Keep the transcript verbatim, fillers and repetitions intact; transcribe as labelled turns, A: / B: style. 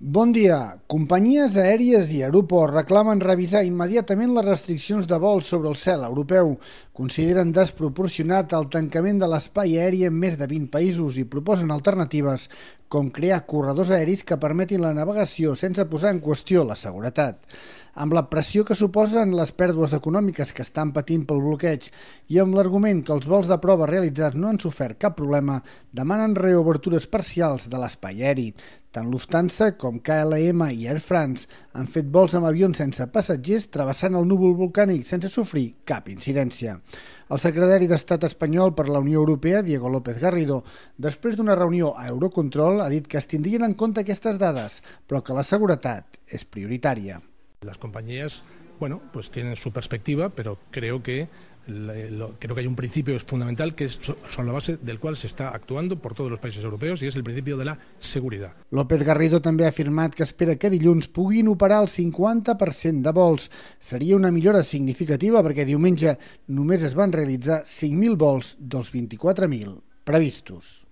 A: Bon dia. Companyies aèries i aeroports reclamen revisar immediatament les restriccions de vol sobre el cel europeu. Consideren desproporcionat el tancament de l'espai aeri en més de vint països i proposen alternatives com crear corredors aeris que permetin la navegació sense posar en qüestió la seguretat. Amb la pressió que suposen les pèrdues econòmiques que estan patint pel bloqueig i amb l'argument que els vols de prova realitzats no han sofert cap problema, demanen reobertures parcials de l'espai aeri. Tant Lufthansa com K L M i Air France han fet vols amb avions sense passatgers travessant el núvol volcànic sense sofrir cap incidència. El secretari d'Estat espanyol per la Unió Europea, Diego López Garrido, després d'una reunió a Eurocontrol, ha dit que es tindrien en compte aquestes dades, però que la seguretat és prioritària.
B: Las compañías, bueno, pues tienen su perspectiva, pero creo que lo, creo que hay un principio fundamental que es, son la base del cual se está actuando por todos los países europeos y es el principio de la seguridad.
A: López Garrido també ha afirmat que espera que dilluns puguin operar el cinquanta per cent de vols. Seria una millora significativa perquè diumenge només es van realitzar cinc mil vols dels vint-i-quatre mil previstos.